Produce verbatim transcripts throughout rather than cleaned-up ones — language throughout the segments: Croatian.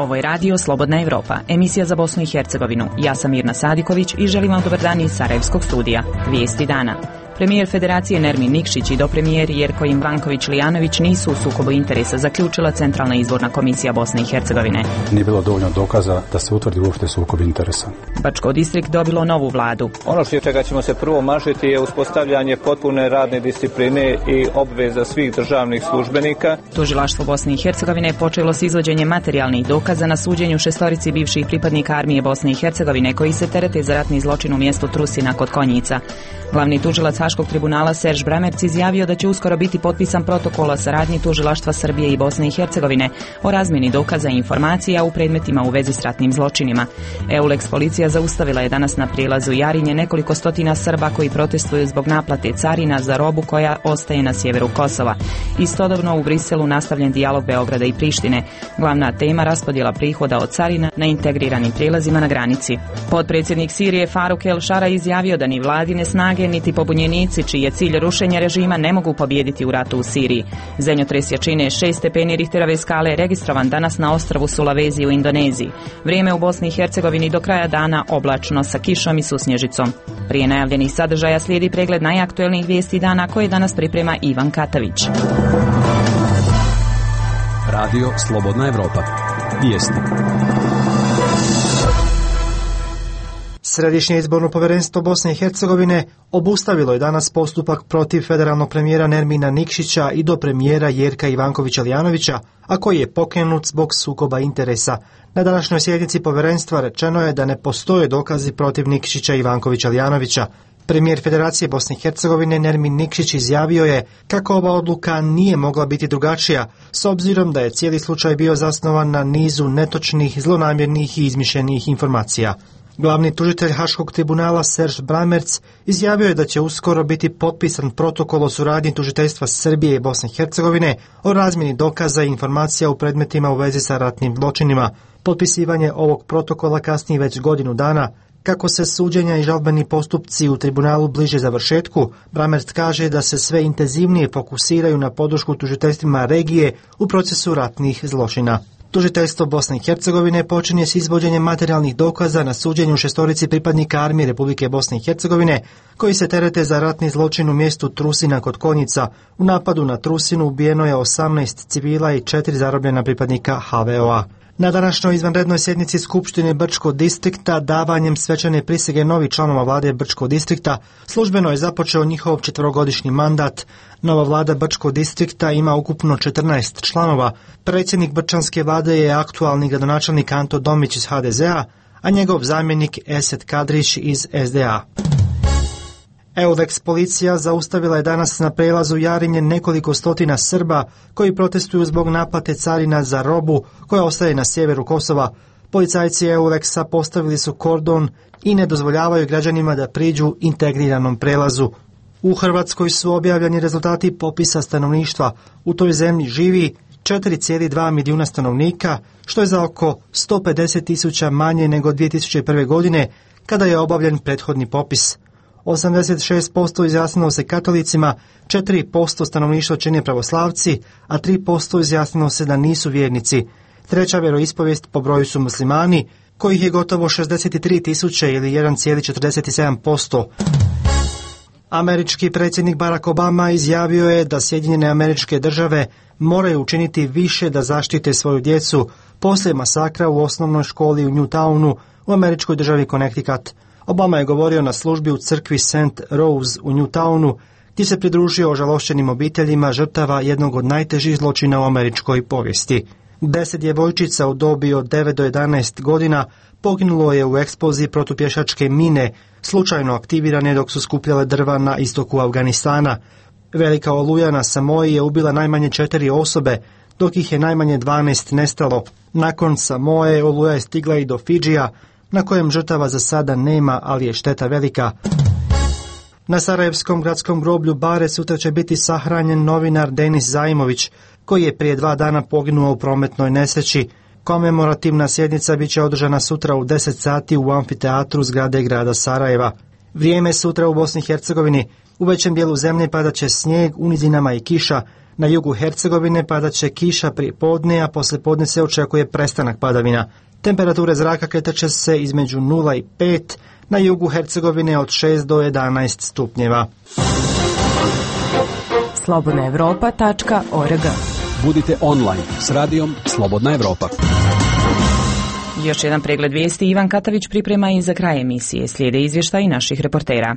Ovo je radio Slobodna Evropa, emisija za Bosnu i Hercegovinu. Ja sam Mirna Sadiković i želim vam dobar dan iz Sarajevskog studija. Vijesti dana. Premijer Federacije Nermin Nikšić i dopremijer Jerko Ivanković-Lijanović nisu u sukobu interesa, zaključila Centralna izborna komisija Bosne i Hercegovine. Nije bilo dovoljno dokaza da se utvrdi uopšte sukob interesa. Bačko distrikt dobilo novu vladu. Ono što čega ćemo se prvo mažiti je uspostavljanje potpune radne discipline i obveza svih državnih službenika. Tužilaštvo Bosne i Hercegovine počelo s izvođenjem materijalnih dokaza na suđenju šestorici bivših pripadnika armije Bosne i Hercegovine koji se terete za ratni zločin u mjestu Trusina kod Konjica. Glavni tužilac Haškog tribunala Serž Bramerc izjavio da će uskoro biti potpisan protokol o saradnji tužilaštva Srbije i Bosne i Hercegovine o razmjeni dokaza i informacija u predmetima u vezi s ratnim zločinima. Eulex policija zaustavila je danas na prijelazu Jarinje nekoliko stotina Srba koji protestuju zbog naplate carina za robu koja ostaje na sjeveru Kosova. Istodobno u Briselu nastavljen dijalog Beograda i Prištine. Glavna tema raspodjela prihoda od carina na integriranim prijelazima na granici. Potpredsjednik Sirije Faruk El Šara izjavio da ni vladine snage niti pobunjenici čiji je cilj rušenja režima ne mogu pobijediti u ratu u Siriji. Zemljotres jačine šest stepeni Richterove skale je registrovan danas na ostrvu Sulawesi u Indoneziji. Vrijeme u Bosni i Hercegovini do kraja dana oblačno sa kišom i susnježicom. Prije najavljenih sadržaja slijedi pregled najaktuelnijih vijesti dana koje danas priprema Ivan Katavić. Radio Slobodna Evropa. Vijesti. Središnje izborno povjerenstvo Bosne i Hercegovine obustavilo je danas postupak protiv federalnog premijera Nermina Nikšića i do premijera Jerka Ivankovića-Lijanovića, a koji je pokrenut zbog sukoba interesa. Na današnjoj sjednici povjerenstva rečeno je da ne postoje dokazi protiv Nikšića i Ivankovića-Lijanovića. Premijer Federacije Bosne i Hercegovine Nermin Nikšić izjavio je kako ova odluka nije mogla biti drugačija, s obzirom da je cijeli slučaj bio zasnovan na nizu netočnih, zlonamjernih i izmišljenih informacija. Glavni tužitelj Haškog tribunala Serž Bramerc izjavio je da će uskoro biti potpisan protokol o suradnji tužiteljstva Srbije i Bosne i Hercegovine o razmjeni dokaza i informacija u predmetima u vezi sa ratnim zločinima. Potpisivanje ovog protokola kasnije već godinu dana. Kako se suđenja i žalbeni postupci u tribunalu bliže završetku, Bramerc kaže da se sve intenzivnije fokusiraju na podršku tužiteljstvima regije u procesu ratnih zločina. Tužiteljstvo Bosne i Hercegovine počinje s izvođenjem materijalnih dokaza na suđenju šestorici pripadnika armije Republike Bosne i Hercegovine koji se terete za ratni zločin u mjestu Trusina kod Konjica. U napadu na Trusinu ubijeno je osamnaest civila i četiri zarobljena pripadnika H V O A. Na današnjoj izvanrednoj sjednici Skupštine Brčkog distrikta davanjem svečane prisege novih članova vlade Brčkog distrikta službeno je započeo njihov četverogodišnji mandat. Nova vlada Brčkog distrikta ima ukupno četrnaest članova. Predsjednik brčanske vlade je aktualni gradonačelnik Anto Domić iz H D Z A, a njegov zamjenik Esed Kadrić iz S D A. Eulex policija zaustavila je danas na prelazu Jarinje nekoliko stotina Srba koji protestuju zbog naplate carina za robu koja ostaje na sjeveru Kosova. Policajci Eulexa postavili su kordon i ne dozvoljavaju građanima da priđu integriranom prelazu. U Hrvatskoj su objavljeni rezultati popisa stanovništva. U toj zemlji živi četiri zarez dva milijuna stanovnika, što je za oko sto pedeset tisuća manje nego dvije tisuće prve. godine kada je obavljen prethodni popis. osamdeset šest posto izjasnilo se katolicima, četiri posto stanovništva čine pravoslavci, a tri posto izjasnilo se da nisu vjernici. Treća vjeroispovijest po broju su muslimani, kojih je gotovo šezdeset tri tisuće ili jedan zarez četrdeset sedam posto. Američki predsjednik Barack Obama izjavio je da Sjedinjene Američke Države moraju učiniti više da zaštite svoju djecu poslije masakra u osnovnoj školi u Newtownu u američkoj državi Connecticut. Obama je govorio na službi u crkvi Saint Rose u Newtownu, gdje se pridružio ožalošćenim obiteljima žrtava jednog od najtežih zločina u američkoj povijesti. Deset djevojčica u dobi od devet do jedanaest godina poginulo je u eksploziji protupješačke mine, slučajno aktivirane dok su skupljale drva na istoku Afganistana. Velika oluja na Samoji je ubila najmanje četiri osobe, dok ih je najmanje dvanaest nestalo. Nakon Samoje oluja je stigla i do Fidžija, na kojem žrtava za sada nema, ali je šteta velika. Na Sarajevskom gradskom groblju Bare sutra će biti sahranjen novinar Denis Zaimović, koji je prije dva dana poginuo u prometnoj nesreći. Komemorativna sjednica bit će održana sutra u deset sati u amfiteatru zgrade grada Sarajeva. Vrijeme sutra u Bosni i Hercegovini. U većem dijelu zemlje padat će snijeg, u nizinama i kiša. Na jugu Hercegovine padat će kiša prije podne, a poslije podne se očekuje prestanak padavina. Temperature zraka kretat će se između nula i pet, na jugu Hercegovine od šest do jedanaest stupnjeva. slobodna evropa tačka org. Budite online s radijom Slobodna Evropa. Još jedan pregled vijesti Ivan Katavić priprema i za kraj emisije. Slijede izvještaj naših reportera.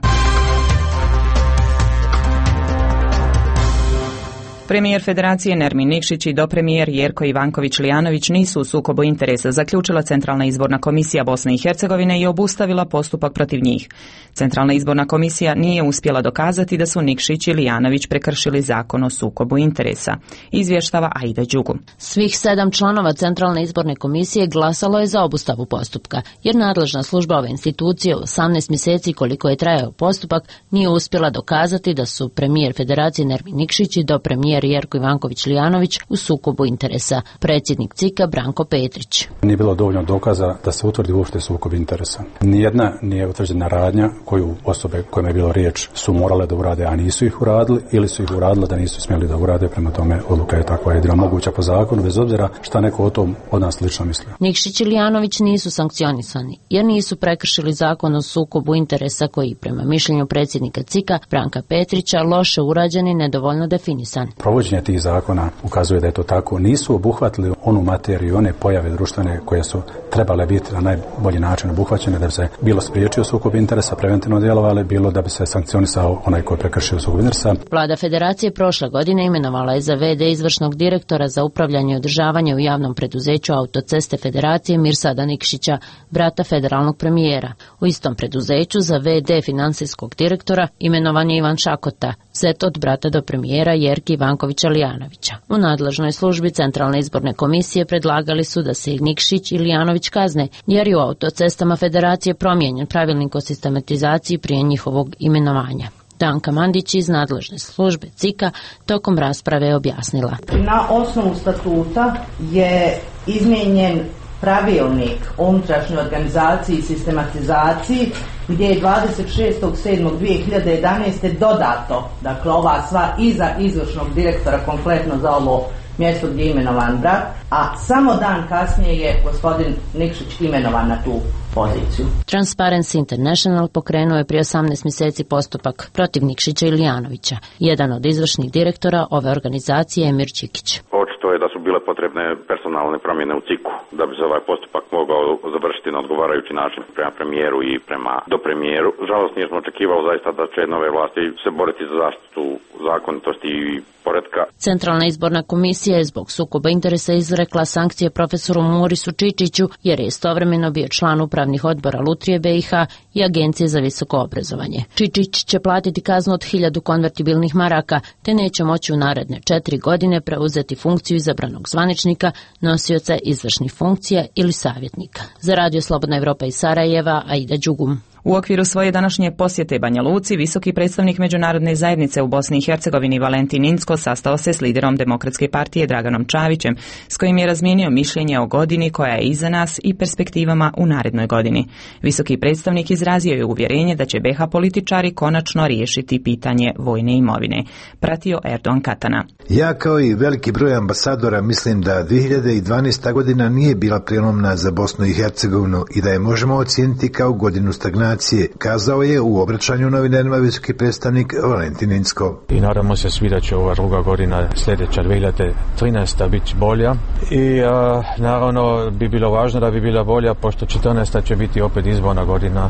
Premijer Federacije Nermin Nikšić i dopremijer Jerko Ivanković-Lijanović nisu u sukobu interesa, zaključila Centralna izborna komisija Bosne i Hercegovine i obustavila postupak protiv njih. Centralna izborna komisija nije uspjela dokazati da su Nikšić i Lijanović prekršili zakon o sukobu interesa. Izvještava Aida Đugu. Svih sedam članova Centralne izborne komisije glasalo je za obustavu postupka, jer nadležna služba ove institucije u osamnaest mjeseci koliko je trajao postupak nije uspjela dokazati da su premijer Federacije Nermin Nikšić i dopremijer Jerko Ivanković-Lijanović u sukobu interesa. Predsjednik C I K-a Branko Petrić. Nije bilo dovoljno dokaza da se utvrdi uopšte sukob interesa. Nijedna nije utvrđena radnja koju osobe kojima je bilo riječ su morale da urade, a nisu ih uradili, ili su ih uradili da nisu smjeli da urade. Prema tome odluka je takva jedina moguća po zakonu, bez obzira šta neko o tom od nas lično misli. Nikšić i Lijanović nisu sankcionisani jer nisu prekršili zakon o sukobu interesa koji prema mišljenju predsjednika C I K-a Branka Petrića loše urađen i nedovoljno definisan. Provođenje tih zakona ukazuje da je to tako. Nisu obuhvatili onu materiju, one pojave društvene koje su trebale biti na najbolji način obuhvaćene da bi se bilo spriječio sukob interesa, preventivno djelovali, bilo da bi se sankcionisao onaj koji je prekršio sukob interesa. Vlada Federacije prošle godine imenovala je za ve de izvršnog direktora za upravljanje i održavanje u javnom preduzeću Autoceste Federacije Mirsada Nikšića, brata federalnog premijera. U istom preduzeću za ve de financijskog direktora imenovan je Ivan Šakota, zet od brata do premijera Jerki Ivankovića-Lijanovića. U nadležnoj službi Centralne izborne komisije predlagali su da se Nikšić i Lijanović kazne, jer je u Autocestama Federacije promijenjen pravilnik o sistematizaciji prije njihovog imenovanja. Danka Mandić iz nadležne službe C I K-a tokom rasprave je objasnila. Na osnovu statuta je izmijenjen pravilnik o unutrašnjoj organizaciji i sistematizaciji gdje je dvadeset šestog sedmog dvije hiljade jedanaeste dodato, dakle ova sva iza izvršnog direktora konkretno za ovo mjesto gdje je imenovan brat, a samo dan kasnije je gospodin Nikšić imenovan na tu poziciju. Transparency International pokrenuo je prije osamnaest mjeseci postupak protiv Nikšića i Lijanovića. Jedan od izvršnih direktora ove organizacije je Emir Čikić. Očito je da su bile potrebne personalne promjene u C I K-u da bi se ovaj postupak mogao završiti na odgovarajući način prema premijeru i prema dopremijeru. Žalost, nismo očekivali zaista da će nove vlasti se boriti za zaštitu zakonitosti i poretka. Centralna izborna komisija je zbog sukoba interesa izrekla sankcije profesoru Murisu Čičiću jer je istovremeno bio član upravnih odbora Lutrije be i ha i Agencije za visoko obrazovanje. Čičić će platiti kaznu od hiljadu konvertibilnih maraka te neće moći u naredne četiri godine preuzeti funkciju izabranog zvaničnika, nosioca izvršnih funkcija ili savjetnika. Za Radio Slobodna Evropa iz Sarajeva, Aida Đugum. U okviru svoje današnje posjete Banja Luci, visoki predstavnik međunarodne zajednice u Bosni i Hercegovini Valentin Incko sastao se s liderom Demokratske partije Draganom Čavićem, s kojim je razmijenio mišljenje o godini koja je iza nas i perspektivama u narednoj godini. Visoki predstavnik izrazio je uvjerenje da će be ha političari konačno riješiti pitanje vojne imovine. Pratio Erdogan Katana. Ja kao i veliki broj ambasadora mislim da dvije hiljade dvanaesta godina nije bila prijelomna za Bosnu i Hercegovinu i da je možemo ocijeniti kao godinu stagnacije, kazao je u obraćanju novinarima visoki predstavnik Valentin Incko. I nadamo se svi da će ova druga godina sljedeća dvije hiljade trinaesta biti bolja i a, naravno bi bilo važno da bi bila bolja pošto četrnaesta će biti opet izborna godina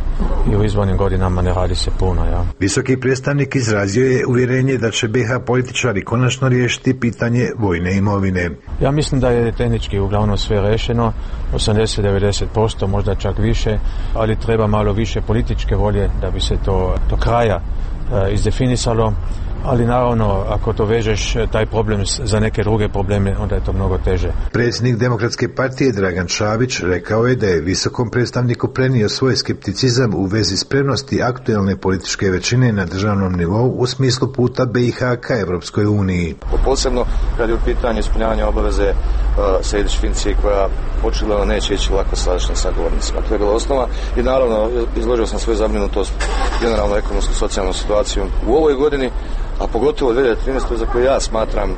i u izbornim godinama ne radi se puno. Ja. Visoki predstavnik izrazio je uvjerenje da će be ha političari konačno riješiti pitanje vojne imovine. Ja mislim da je tehnički uglavnom sve rešeno, osamdeset do devedeset posto, možda čak više, ali treba malo više političke volje da bi se to do kraja uh, izdefinisalo, ali naravno ako to vežeš taj problem za neke druge probleme, onda je to mnogo teže. Predsjednik Demokratske partije Dragan Čavić rekao je da je visokom predstavniku prenio svoj skepticizam u vezi spremnosti aktuelne političke većine na državnom nivou u smislu puta be i ha ka Evropskoj uniji. Posebno kad je u pitanju ispunjavanja obaveze uh, Sejdić Finci koja očigledno neće ići lako s sadašnjim sagovornicima. To je bila osnova i naravno izložio sam svoju zabrinutost generalno ekonomsku socijalnu situaciju u ovoj godini, a pogotovo dvije hiljade trinaeste za koju ja smatram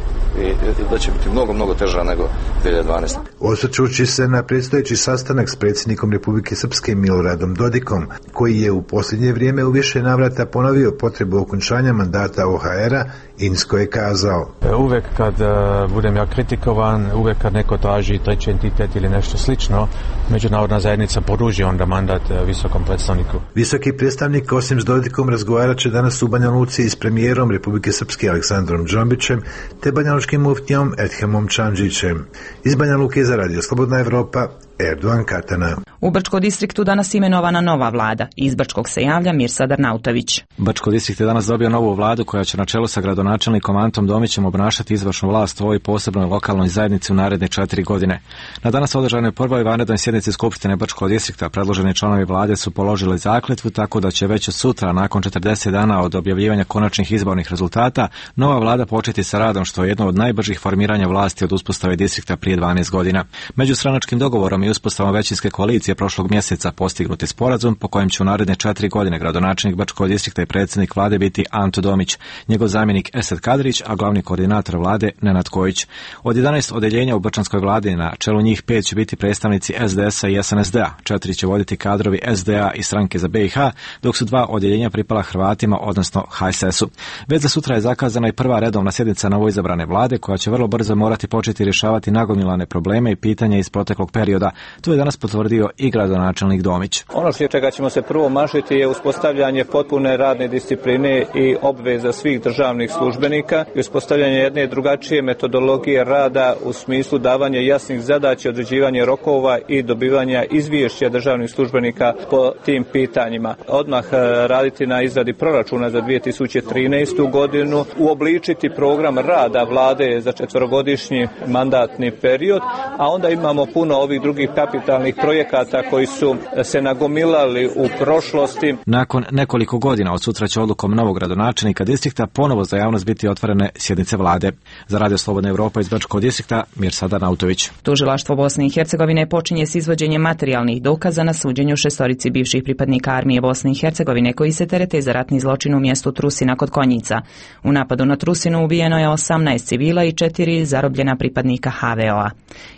i da će biti mnogo, mnogo teža nego dvije hiljade dvanaeste. Osvrćući se na predstojeći sastanak s predsjednikom Republike Srpske Miloradom Dodikom, koji je u posljednje vrijeme u više navrata ponovio potrebu okončanja mandata O H R-a, Inzko je kazao: Uvijek kad uh, budem ja kritikovan, uvijek kad neko traži treći entitet ili nešto slično, međunarodna zajednica poruži onda mandat uh, visokom predstavniku. Visoki predstavnik osim s Dodikom razgovarat će danas u Banja Luci s premijerom Republike Srpske Aleksandrom Džombićem te banjalučkim muftijom Edhemom Čandžićem. Iz Banja Luke za Radio Slobodna Evropa, Erdogan Katana. U Brčko distriktu danas imenovana nova vlada. Iz Brčkog se javlja Mirsad Arnautović. Brčko distrikt je danas dobio novu vladu koja će na čelu sa gradonačelnikom Antom Domićem obnašati izvršnu vlast u ovoj posebnoj lokalnoj zajednici u naredne četiri godine. Na danas održanoj prvoj vanrednoj sjednici Skupštine Brčkog distrikta predloženi članovi vlade su položili zakletvu, tako da će već sutra, nakon četrdeset dana od objavljivanja konačnih izbornih rezultata, nova vlada početi sa radom, što je jedno od najbržih formiranja vlasti od uspostave distrikta prije dvanaest godina. Međustranačkim dogovorom i uspostavom većinske koalicije prošlog mjeseca postignut je sporazum po kojem će u naredne četiri godine gradonačelnik Brčkog distrikta i predsjednik vlade biti Anto Domić, njegov zamjenik Esad Kadrić, a glavni koordinator vlade Nenad Kojić. Od jedanaest odeljenja u brčanskoj vladi na čelu njih pet će biti predstavnici S D S-a i S N S D-a, četiri će voditi kadrovi S D A i stranke za B i H, dok su dva odeljenja pripala Hrvatima, odnosno H S S-u. Već za sutra je zakazana i prva redovna sjednica novoizabrane vlade, koja će vrlo brzo morati početi rješavati nagomilane probleme i pitanja iz proteklog perioda. To je danas potvrdio i gradonačelnik Domić. Ono što čega ćemo se prvo mašiti je uspostavljanje potpune radne discipline i obveza svih državnih službenika i uspostavljanje jedne drugačije metodologije rada u smislu davanja jasnih zadaća, određivanja rokova i dobivanja izvješća državnih službenika po tim pitanjima. Odmah raditi na izradi proračuna za dvije tisuće trinaestu godinu, uobličiti program rada vlade za četverogodišnji mandatni period, a onda imamo puno ovih drugih kapitalnih projekata koji su se nagomilali u prošlosti. Nakon nekoliko godina od sutra će odlukom novog gradonačelnika distrikta ponovo za javnost biti otvorene sjednice vlade. Za Radio Slobodna Evropa iz Brčkog distrikta, Mirsad Arnautović. Tužilaštvo Bosne i Hercegovine počinje s izvođenjem materijalnih dokaza na suđenju šestorici bivših pripadnika armije Bosne i Hercegovine koji se terete za ratni zločin u mjestu Trusina kod Konjica. U napadu na Trusinu ubijeno je osamnaest civila i četiri zarobljena pripadnika H V O-a.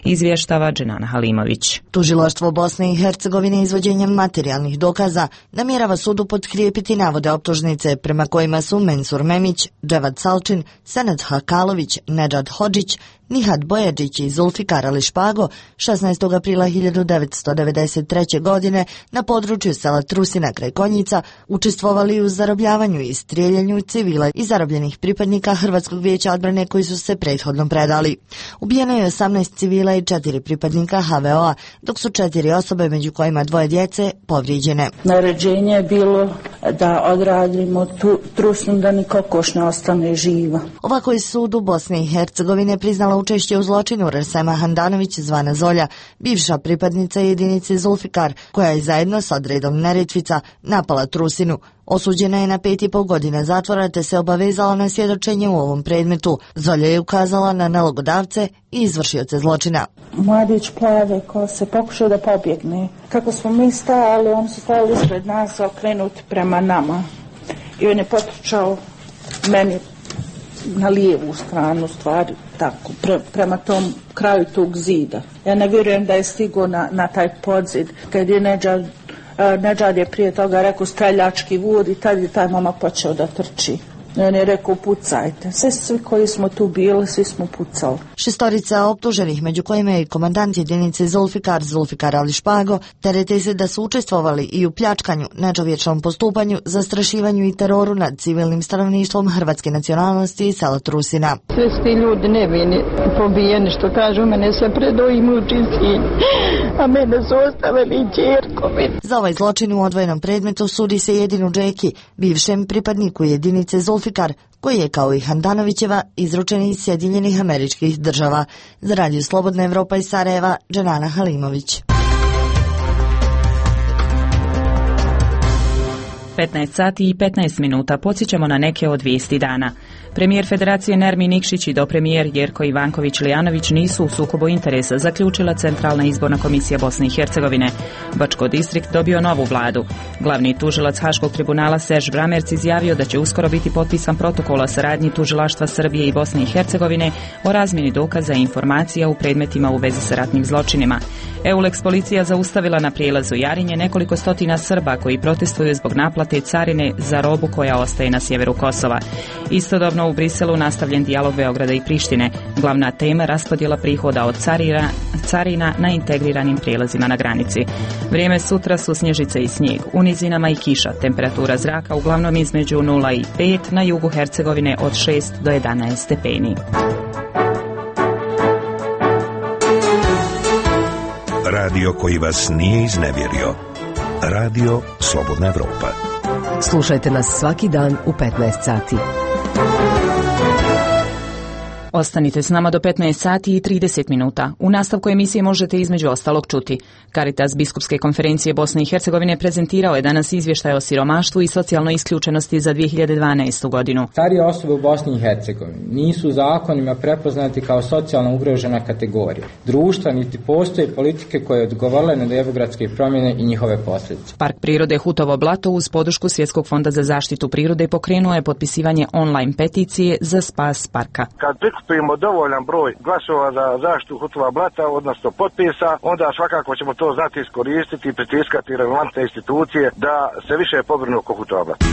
Izvještava Dženana Halimović. Tužilaštvo Bosne i Hercegovine izvođenjem materijalnih dokaza namjerava sudu potkrijepiti navode optužnice prema kojima su Mensur Memić, Dževad Salčin, Senad Hakalović, Nedžad Hodžić, Nihad Bojađić i Zulfikar Ali Špago šesnaestog aprila hiljadu devetsto devedeset treće. godine na području sela Trusina kraj Konjica učestvovali u zarobljavanju i strijeljanju civila i zarobljenih pripadnika Hrvatskog vijeća odbrane koji su se prethodno predali. Ubijeno je osamnaest civila i četiri pripadnika H V O-a, dok su četiri osobe, među kojima dvoje djece, povrijeđene. Naređenje je bilo da odradimo tu Trusinu da ni kokoš ne ostane živa. Ovako je sud u Bosni i Hercegovine priznala učešće u zločinu Resema Handanović zvana Zolja, bivša pripadnica jedinice Zulfikar, koja je zajedno s odredom Neretvica napala Trusinu. Osuđena je na pet i pol godina zatvora te se obavezala na svjedočenje u ovom predmetu. Zolja je ukazala na nalogodavce i izvršioce zločina. Mladić plave ko se pokušao da pobjegne. Kako smo mi stajali, on su stajali ispred nas okrenuti prema nama. I on je potrčao meni na lijevu stranu, stvari tako, pre, prema tom kraju tog zida. Ja ne vjerujem da je stigao na, na taj podzid. Kad je Nedžad, Nedžad je prije toga rekao streljački vod i tad je taj momak počeo da trči. On je rekao pucajte. Sve svi koji smo tu bili, svi smo pucali. Šestorica optuženih, među kojima je i komandant jedinice Zulfikar, Zulfikar Ali Špago, terete se da su učestvovali i u pljačkanju, nečovječnom postupanju, zastrašivanju i teroru nad civilnim stanovništvom hrvatske nacionalnosti i sela Trusina. Sve su ti ljudi nevini pobijeni, što kažu, mene se predoji muči sin, a mene su ostavili ćerkovi. Za ovaj zločin u odvojenom predmetu sudi se jedinu Džeki, bivšem pripadniku jedinice Zulfikar, koji je kao i Handanovićeva izručen iz Sjedinjenih Američkih Država. Za Radio Slobodna Evropa iz Sarajeva, Dženana Halimović. petnaest sati i petnaest minuta. Podsjećamo na neke od vijesti dana. Premijer Federacije Nermin Nikšić i dopremijer Jerko Ivanković-Lijanović nisu u sukobu interesa, zaključila Centralna izborna komisija Bosne i Hercegovine. Bačko distrikt dobio novu vladu. Glavni tužilac Haškog tribunala Serž Bramerc izjavio da će uskoro biti potpisan protokol o saradnji tužilaštva Srbije i Bosne i Hercegovine o razmjeni dokaza i informacija u predmetima u vezi sa ratnim zločinima. Eulex policija zaustavila na prijelazu Jarinje nekoliko stotina Srba koji protestuju zbog naplate carine za robu koja ostaje na sjeveru Kosova. Istodobno u Briselu nastavljen dijalog Beograda i Prištine. Glavna tema raspodjela prihoda od carina, carina na integriranim prijelazima na granici. Vrijeme sutra su snježice i snijeg, u nizinama i kiša. Temperatura zraka uglavnom između nula i pet, na jugu Hercegovine od šest do jedanaest stepeni. Radio koji vas nije iznevjerio. Radio Slobodna Evropa. Slušajte nas svaki dan u petnaest sati. Ostanite s nama do petnaest sati i trideset minuta. U nastavku emisije možete između ostalog čuti. Caritas Biskupske konferencije Bosne i Hercegovine prezentirao je danas izvještaj o siromaštvu i socijalnoj isključenosti za dvije hiljade dvanaestu. godinu. Starije osobe u Bosni i Hercegovini nisu zakonima prepoznati kao socijalno ugrožena kategorija društva, niti postoje politike koje odgovorile na demografske promjene i njihove posljedice. Park prirode Hutovo blato uz podršku Svjetskog fonda za zaštitu prirode pokrenuo je potpisivanje online peticije za spas parka. Kad prikupimo dovoljan broj glasova za zaštitu Hutova blata, odnosno potpisa, onda svakako ćemo to znati iskoristiti i pritiskati relevantne institucije da se više pobrinu oko Hutova blata.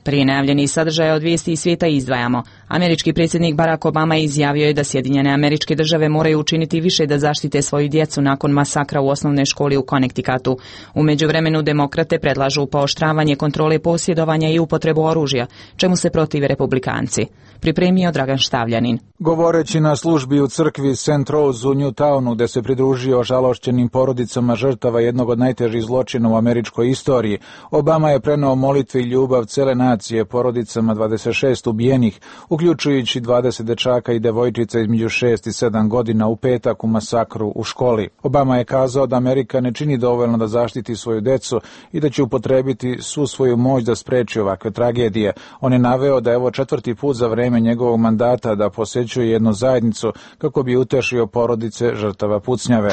Prije najavljenih sadržaja od vijesti iz svijeta izdvajamo. Američki predsjednik Barack Obama izjavio je da Sjedinjene Američke Države moraju učiniti više da zaštite svoju djecu nakon masakra u osnovnoj školi u Connecticutu. U međuvremenu demokrate predlažu pooštravanje kontrole posjedovanja i upotrebu oružja, čemu se protive republikanci. Pripremio Dragan Štavljanin. Govoreći na službi u crkvi Saint Rose u Newtownu, gde se pridružio žalošćenim porodicama žrtava jednog od najtežih zločina u američkoj istoriji, Obama je preneo molitve i ljubav cele nacije porodicama dvadeset šest ubijenih, uključujući dvadeset dečaka i devojčica između šest i sedam godina u petak u masakru u školi. Obama je kazao da Amerika ne čini dovoljno da zaštiti svoju decu i da će upotrebiti svu svoju moć da spreči ovakve tragedije. On je naveo da je ovo četvrti put za vreme njegovog mandata da posećuje jednu zajednicu kako bi utešio porodice žrtava pucnjave.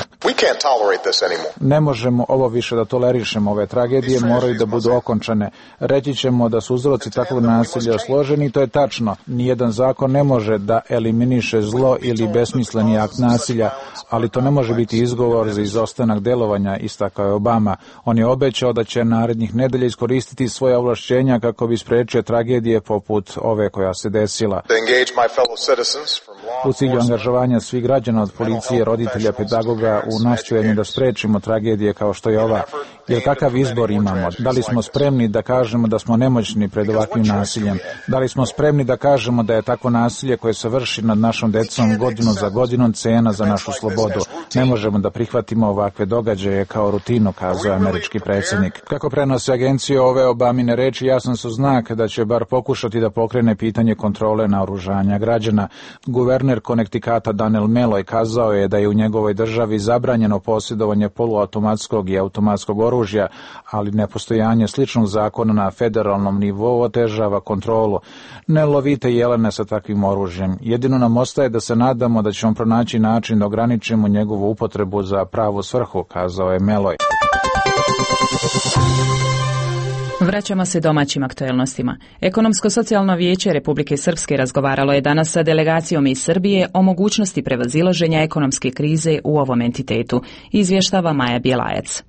Ne možemo ovo više da tolerišemo, ove tragedije moraju da budu okončane. Reći ćemo da su uzroci takvog nasilja složeni i to je tačno. Nijedan zakon ne može da eliminiše zlo ili besmisleni akt nasilja, ali to ne može biti izgovor za izostanak delovanja, istakao je Obama. On je obećao da će narednih nedelja iskoristiti svoje ovlašćenja kako bi sprečio tragedije poput ove koja se desila. U cilju angažovanja svih građana od policije, roditelja, pedagoga u nastojanju da sprečimo tragedije kao što je ova. Jer kakav izbor imamo? Da li smo spremni da kažemo da smo nemoćni pred ovakvim nasiljem? Da li smo spremni da kažemo da je takvo nasilje koje se vrši nad našom decom godinu za godinom cena za našu slobodu? Ne možemo da prihvatimo ovakve događaje kao rutinu, kazao američki predsjednik. Kako prenose agencije, ove Obamine reči jasan su znak da će bar pokušati da pokrene pitanje kontrole naoružanja građana. Guverner Connecticuta Daniel Malloy kazao je da je u njegovoj državi zabranjeno posjedovanje poluautomatskog i automatskog oružja, ali nepostojanje sličnog zakona na federalnom nivou otežava kontrolu. Ne lovite jelene sa takvim oružjem. Jedino nam ostaje da se nadamo da ćemo pronaći način da ograničimo njegovu upotrebu za pravu svrhu, kazao je Malloy. Vraćamo se domaćim aktuelnostima. Ekonomsko-socijalno vijeće Republike Srpske razgovaralo je danas sa delegacijom iz Srbije o mogućnosti prevazilaženja ekonomske krize u ovom entitetu, izvještava Maja Bjelajac.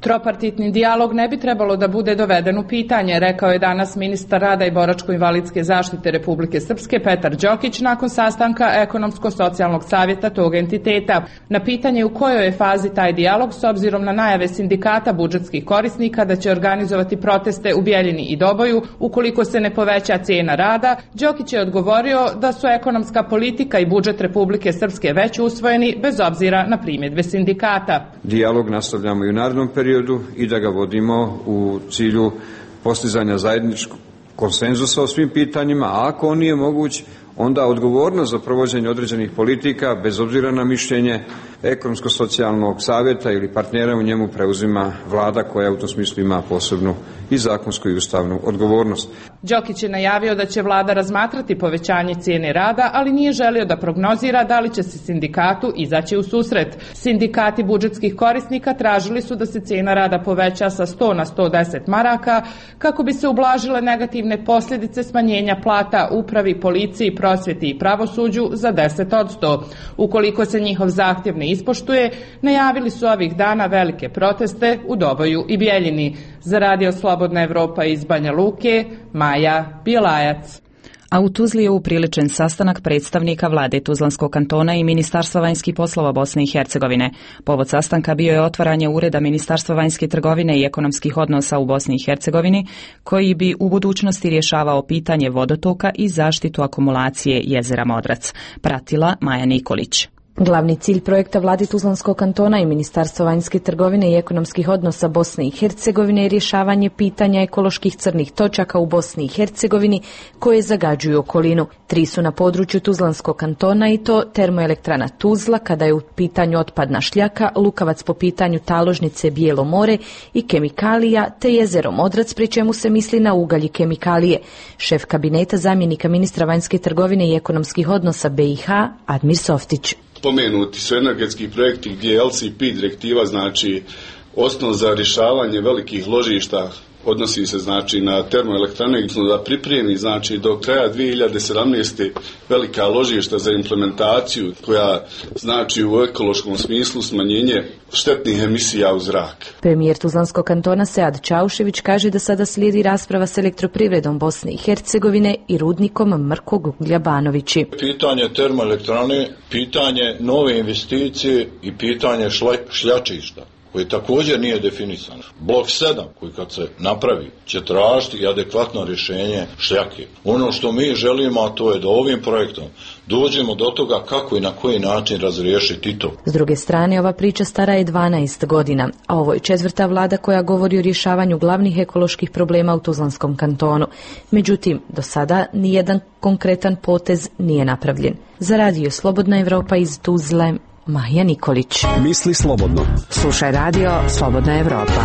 Tropartitni dijalog ne bi trebalo da bude doveden u pitanje, rekao je danas ministar rada i boračko-invalidske zaštite Republike Srpske Petar Đokić nakon sastanka ekonomsko-socijalnog savjeta tog entiteta. Na pitanje u kojoj je fazi taj dijalog s obzirom na najave sindikata budžetskih korisnika da će organizovati proteste u Bjeljini i Doboju ukoliko se ne poveća cijena rada, Đokić je odgovorio da su ekonomska politika i budžet Republike Srpske već usvojeni bez obzira na primjedbe sindikata. Dijalog nastavljamo i u narednom periodu i da ga vodimo u cilju postizanja zajedničkog konsenzusa o svim pitanjima, a ako on nije moguć, onda odgovornost za provođenje određenih politika, bez obzira na mišljenje ekonomsko-socijalnog savjeta ili partnera u njemu, preuzima vlada koja u tom smislu ima posebnu i zakonsku i ustavnu odgovornost. Đokić je najavio da će vlada razmatrati povećanje cijene rada, ali nije želio da prognozira da li će se sindikatu izaći u susret. Sindikati budžetskih korisnika tražili su da se cijena rada poveća sa sto na sto deset maraka kako bi se ublažile negativne posljedice smanjenja plata upravi, policiji, prosvjeti i pravosuđu za deset posto. Ukoliko se njihov zahtjev ne ispoštuje, najavili su ovih dana velike proteste u Doboju i Bjeljini. Za Radio Slobodna Evropa iz Banja Luke, Maja Bjelajac. A u Tuzli je upriličen sastanak predstavnika vlade Tuzlanskog kantona i Ministarstva vanjskih poslova Bosne i Hercegovine. Povod sastanka bio je otvaranje ureda Ministarstva vanjske trgovine i ekonomskih odnosa u Bosni i Hercegovini, koji bi u budućnosti rješavao pitanje vodotoka i zaštitu akumulacije jezera Modrac. Pratila Maja Nikolić. Glavni cilj projekta vlade Tuzlanskog kantona i Ministarstva vanjske trgovine i ekonomskih odnosa Bosne i Hercegovine je rješavanje pitanja ekoloških crnih točaka u Bosni i Hercegovini koje zagađuju okolinu. Tri su na području Tuzlanskog kantona i to termoelektrana Tuzla kada je u pitanju otpadna šljaka, Lukavac po pitanju taložnice Bijelo more i kemikalija, te jezero Modrac, pri čemu se misli na ugalj i kemikalije. Šef kabineta zamjenika ministra vanjske trgovine i ekonomskih odnosa B i H Admir Softić. Spomenuti su energetski projekti gdje je L C P direktiva znači osnov za rješavanje velikih ložišta, odnosi se znači na termoelektrane, da pripremi znači do kraja dvije hiljade sedamnaeste. velika ložišta za implementaciju koja znači u ekološkom smislu smanjenje štetnih emisija u zrak. Premijer Tuzlanskog kantona Sead Čaušević kaže da sada slijedi rasprava s elektroprivredom Bosne i Hercegovine i rudnikom Mrkog uglja Banovići. Pitanje termoelektrane, pitanje nove investicije i pitanje šla, šljačišta koji također nije definisan. Blok sedam koji kad se napravi će tražiti i adekvatno rješenje šljake. Ono što mi želimo, a to je da ovim projektom dođemo do toga kako i na koji način razriješiti to. S druge strane, ova priča stara je dvanaest godina, a ovo je četvrta vlada koja govori o rješavanju glavnih ekoloških problema u Tuzlanskom kantonu. Međutim, do sada nijedan konkretan potez nije napravljen. Za Radio Slobodna Evropa iz Tuzle, Maja Nikolić. Misli slobodno. Slušaj Radio Slobodna Evropa.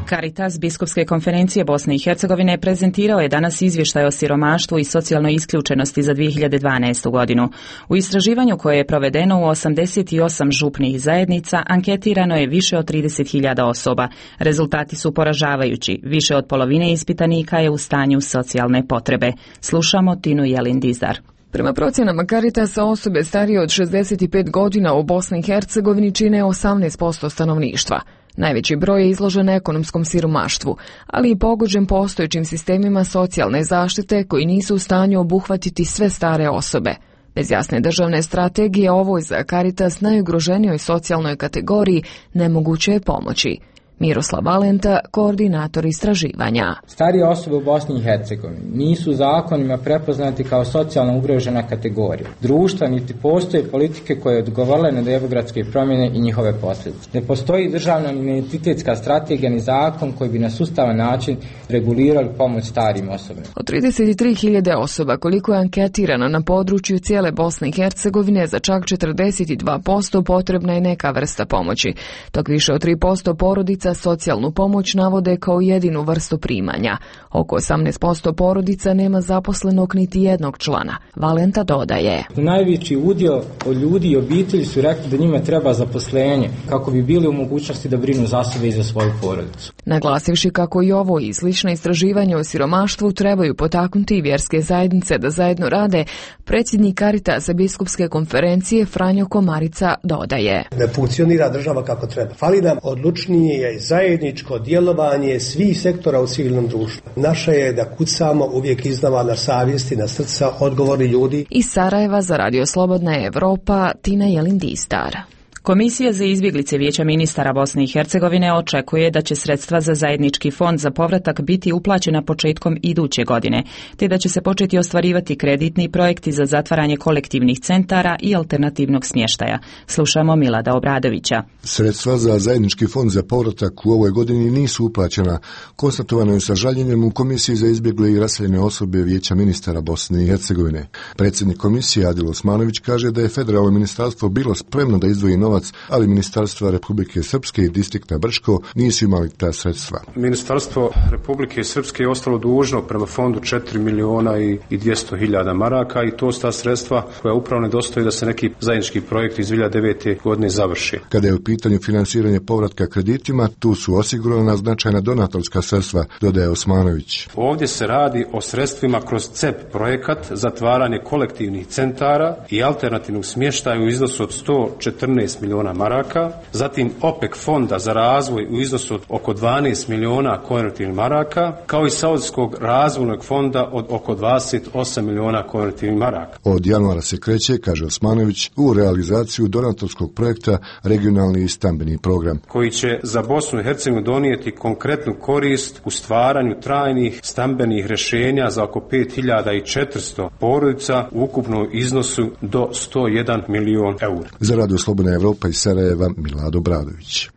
Caritas Biskupske konferencije Bosne i Hercegovine prezentirao je danas izvještaj o siromaštvu i socijalnoj isključenosti za dvije hiljade dvanaestu. godinu. U istraživanju koje je provedeno u osamdeset osam župnih zajednica anketirano je više od trideset hiljada osoba. Rezultati su poražavajući. Više od polovine ispitanika je u stanju socijalne potrebe. Slušamo Tinu Jelin Dizdar. Prema procjenama Caritasa, osobe starije od šezdeset pet godina u Bosni i Hercegovini čine osamnaest posto stanovništva. Najveći broj je izložen ekonomskom siromaštvu, ali i pogođen postojećim sistemima socijalne zaštite koji nisu u stanju obuhvatiti sve stare osobe. Bez jasne državne strategije ovoj za Caritas najugroženijoj socijalnoj kategoriji nemoguće je pomoći. Miroslav Valenta, koordinator istraživanja. Starije osobe u Bosni i Hercegovini nisu zakonima prepoznati kao socijalno ugrožena kategorija društva, niti postoje politike koje odgovarale na demografske promjene i njihove posljedice. Ne postoji državna identitetska strategija ni zakon koji bi na sustavan način regulirali pomoć starim osobama. Od trideset tri hiljade osoba koliko je anketirano na području cijele Bosne i Hercegovine, za čak četrdeset dva posto potrebna je neka vrsta pomoći, dok više od tri posto porodica socijalnu pomoć navode kao jedinu vrstu primanja. Oko osamnaest posto porodica nema zaposlenog niti jednog člana. Valenta dodaje. Najveći udio od ljudi i obitelji su rekli da njima treba zaposlenje kako bi bili u mogućnosti da brinu za sebe i za svoju porodicu. Naglasivši kako i ovo i slična istraživanja o siromaštvu trebaju potaknuti i vjerske zajednice da zajedno rade, predsjednik Caritasa Biskupske konferencije Franjo Komarica dodaje. Ne funkcionira država kako treba. Fali nam odlučnije zajedničko djelovanje svih sektora u civilnom društvu. Naše je da kucamo uvijek iznova na savjesti, na srca odgovorni ljudi. Iz Sarajeva za Radio Slobodna Evropa, Tina Jelin Distar. Komisija za izbjeglice Vijeća ministara Bosne i Hercegovine očekuje da će sredstva za zajednički fond za povratak biti uplaćena početkom iduće godine, te da će se početi ostvarivati kreditni projekti za zatvaranje kolektivnih centara i alternativnog smještaja. Slušamo Milada Obradovića. Sredstva za zajednički fond za povratak u ovoj godini nisu uplaćena. Konstatovano je sa žaljenjem u Komisiji za izbjegle i raseljene osobe Vijeća ministara Bosne i Hercegovine. Predsjednik komisije Adil Osmanović kaže da je federalno ministarstvo bilo spremno da izdvoji novac, ali ministarstva Republike Srpske i distrikta Brčko nisu imali ta sredstva. Ministarstvo Republike Srpske je ostalo dužno prema fondu četiri miliona i dvjesto hiljada maraka i to su ta sredstva koja upravo nedostaju da se neki zajednički projekt iz dvije hiljade devete. godine završi. Kada je u pitanju finansiranje povratka kreditima, tu su osigurana značajna donatorska sredstva, dodaje Osmanović. Ovdje se radi o sredstvima kroz C E P projekat, zatvaranje kolektivnih centara i alternativnog smještaja u iznosu od sto četrnaest miliona maraka, zatim OPEC fonda za razvoj u iznosu od oko dvanaest miliona konvertibilnih maraka, kao i Saudijskog razvojnog fonda od oko dvadeset osam miliona konvertibilnih maraka. Od januara se kreće, kaže Osmanović, u realizaciju donatorskog projekta regionalni i stambeni program, koji će za Bosnu i Hercegovinu donijeti konkretnu korist u stvaranju trajnih stambenih rješenja za oko pet hiljada četiristo porodica u ukupnom iznosu do sto jedan milion eura. Za Radio Slobodna Evropa iz Sarajeva, Milad Obradović.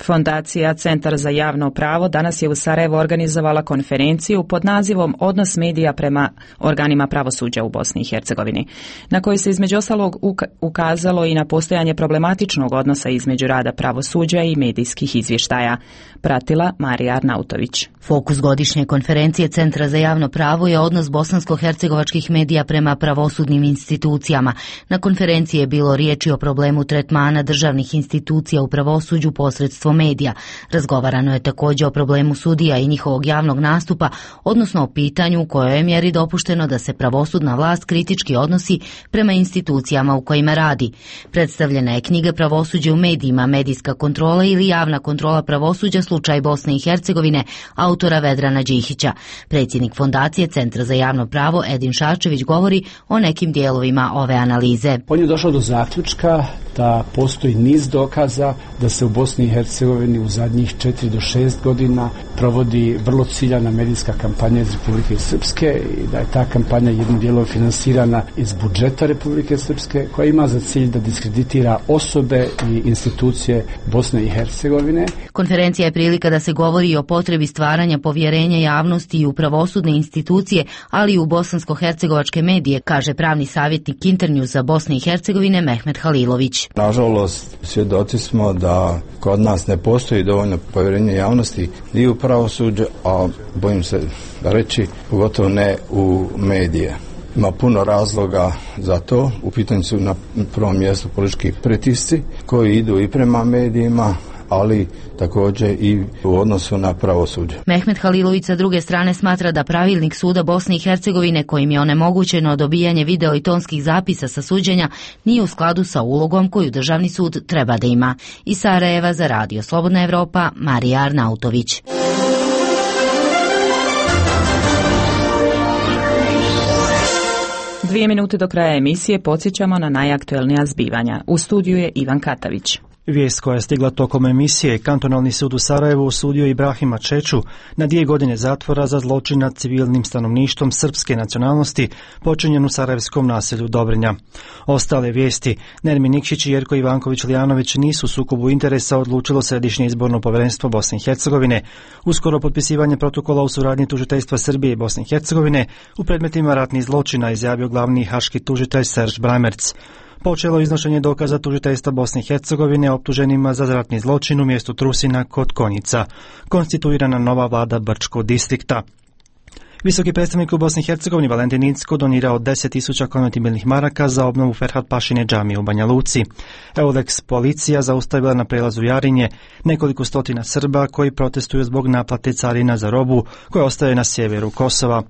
Fondacija Centar za javno pravo danas je u Sarajevu organizovala konferenciju pod nazivom Odnos medija prema organima pravosuđa u Bosni i Hercegovini, na kojoj se između ostalog ukazalo i na postojanje problematičnog odnosa između rada pravosuđa i medijskih izvještaja. Pratila Marija Arnautović. Fokus godišnje konferencije Centra za javno pravo je odnos bosansko-hercegovačkih medija prema pravosudnim institucijama. Na konferenciji je bilo riječi o problemu tretmana državnih institucija u pravosuđu posredstvom medija. Razgovarano je također o problemu sudija i njihovog javnog nastupa, odnosno o pitanju u kojoj je mjeri dopušteno da se pravosudna vlast kritički odnosi prema institucijama u kojima radi. Predstavljena je knjiga Pravosuđe u medijima, medijska kontrola ili javna kontrola pravosuđa, slučaj Bosne i Hercegovine, autora Vedrana Đihića. Predsjednik Fondacije Centra za javno pravo Edin Šarčević govori o nekim dijelovima ove analize. On je došao do zaključka da postoji niz dokaza da se u Bosni i Hercegovini u zadnjih četiri do šest godina provodi vrlo ciljana medijska kampanja iz Republike Srpske i da je ta kampanja jednim dijelom finansirana iz budžeta Republike Srpske, koja ima za cilj da diskreditira osobe i institucije Bosne i Hercegovine. Konferencija je prilika da se govori o potrebi stvaranja povjerenja javnosti i u pravosudne institucije, ali i u bosansko-hercegovačke medije, kaže pravni savjetnik Internewsa Bosne i Hercegovine Mehmet Halilović. Nažalost, svjedoci smo da kod nas ne postoji dovoljno povjerenja javnosti i u pravosuđe, a bojim se reći, pogotovo ne u medije. Ima puno razloga za to. U pitanju su na prvom mjestu politički pritisci koji idu i prema medijima, ali također i u odnosu na pravosuđe. Mehmet Halilović sa druge strane smatra da pravilnik suda Bosne i Hercegovine, kojim je onemogućeno dobijanje video i tonskih zapisa sa suđenja, nije u skladu sa ulogom koju državni sud treba da ima. Iz Sarajeva za Radio Slobodna Evropa, Marija Arnautović. Dvije minute do kraja emisije podsjećamo na najaktuelnija zbivanja. U studiju je Ivan Katavić. Vijest koja je stigla tokom emisije, kantonalni sud u Sarajevu osudio Ibrahima Čeču na dvije godine zatvora za zločin nad civilnim stanovništvom srpske nacionalnosti počinjen u sarajevskom naselju Dobrinja. Ostale vijesti, Nermin Nikšić i Jerko Ivanković-Lijanović nisu u sukobu interesa, odlučilo Središnje izborno povjerenstvo Bosne i Hercegovine. Uskoro potpisivanje protokola u suradnji tužiteljstva Srbije i Bosne i Hercegovine u predmetima ratnih zločina, izjavio glavni haški tužitelj Serž Bramerc. Počelo iznošenje dokaza tužiteljstva Bosne i Hercegovine optuženima za ratni zločin u mjestu Trusina kod Konjica. Konstituirana nova vlada Brčkog distrikta. Visoki predstavnik u Bosni i Hercegovini Valentin Incko donirao deset tisuća konvertibilnih maraka za obnovu Ferhat Pašine džamije u Banja Luci. Eulex policija zaustavila na prelazu Jarinje nekoliko stotina Srba koji protestuju zbog naplate carina za robu koja ostaje na sjeveru Kosova.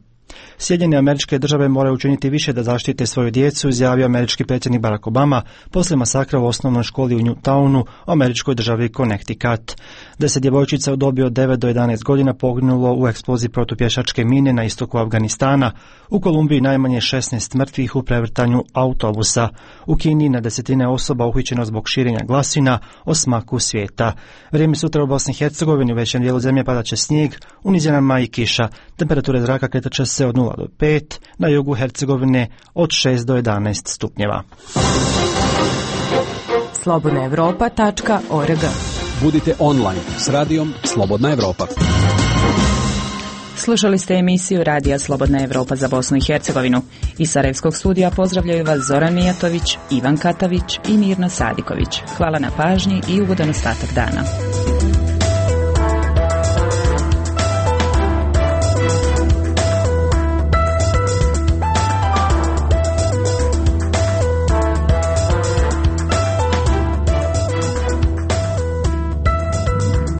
Sjedinjene Američke Države moraju učiniti više da zaštite svoju djecu, izjavio američki predsjednik Barack Obama poslije masakra u osnovnoj školi u Newtownu, u američkoj državi Connecticut. Deset djevojčica u dobi od devet do jedanaest godina poginulo u eksploziji protupješačke mine na istoku Afganistana. U Kolumbiji najmanje šesnaest mrtvih u prevrtanju autobusa. U Kini na desetine osoba uhićeno zbog širenja glasina o smaku svijeta. Vrijeme sutra u Bosni i Hercegovini, u većem dijelu zemlje padat će snijeg, u nizinama i kiša. Temperature zraka kretat će se od nula do pet, na jugu Hercegovine od šest do jedanaest stupnjeva. slobodna europa tačka org. Budite online s radijom Slobodna Evropa. Slušali ste emisiju Radija Slobodna Evropa za Bosnu i Hercegovinu. Iz Sarajevskog studija pozdravljaju vas Zoran Mijatović, Ivan Katavić i Mirna Sadiković. Hvala na pažnji i ugodan ostatak dana.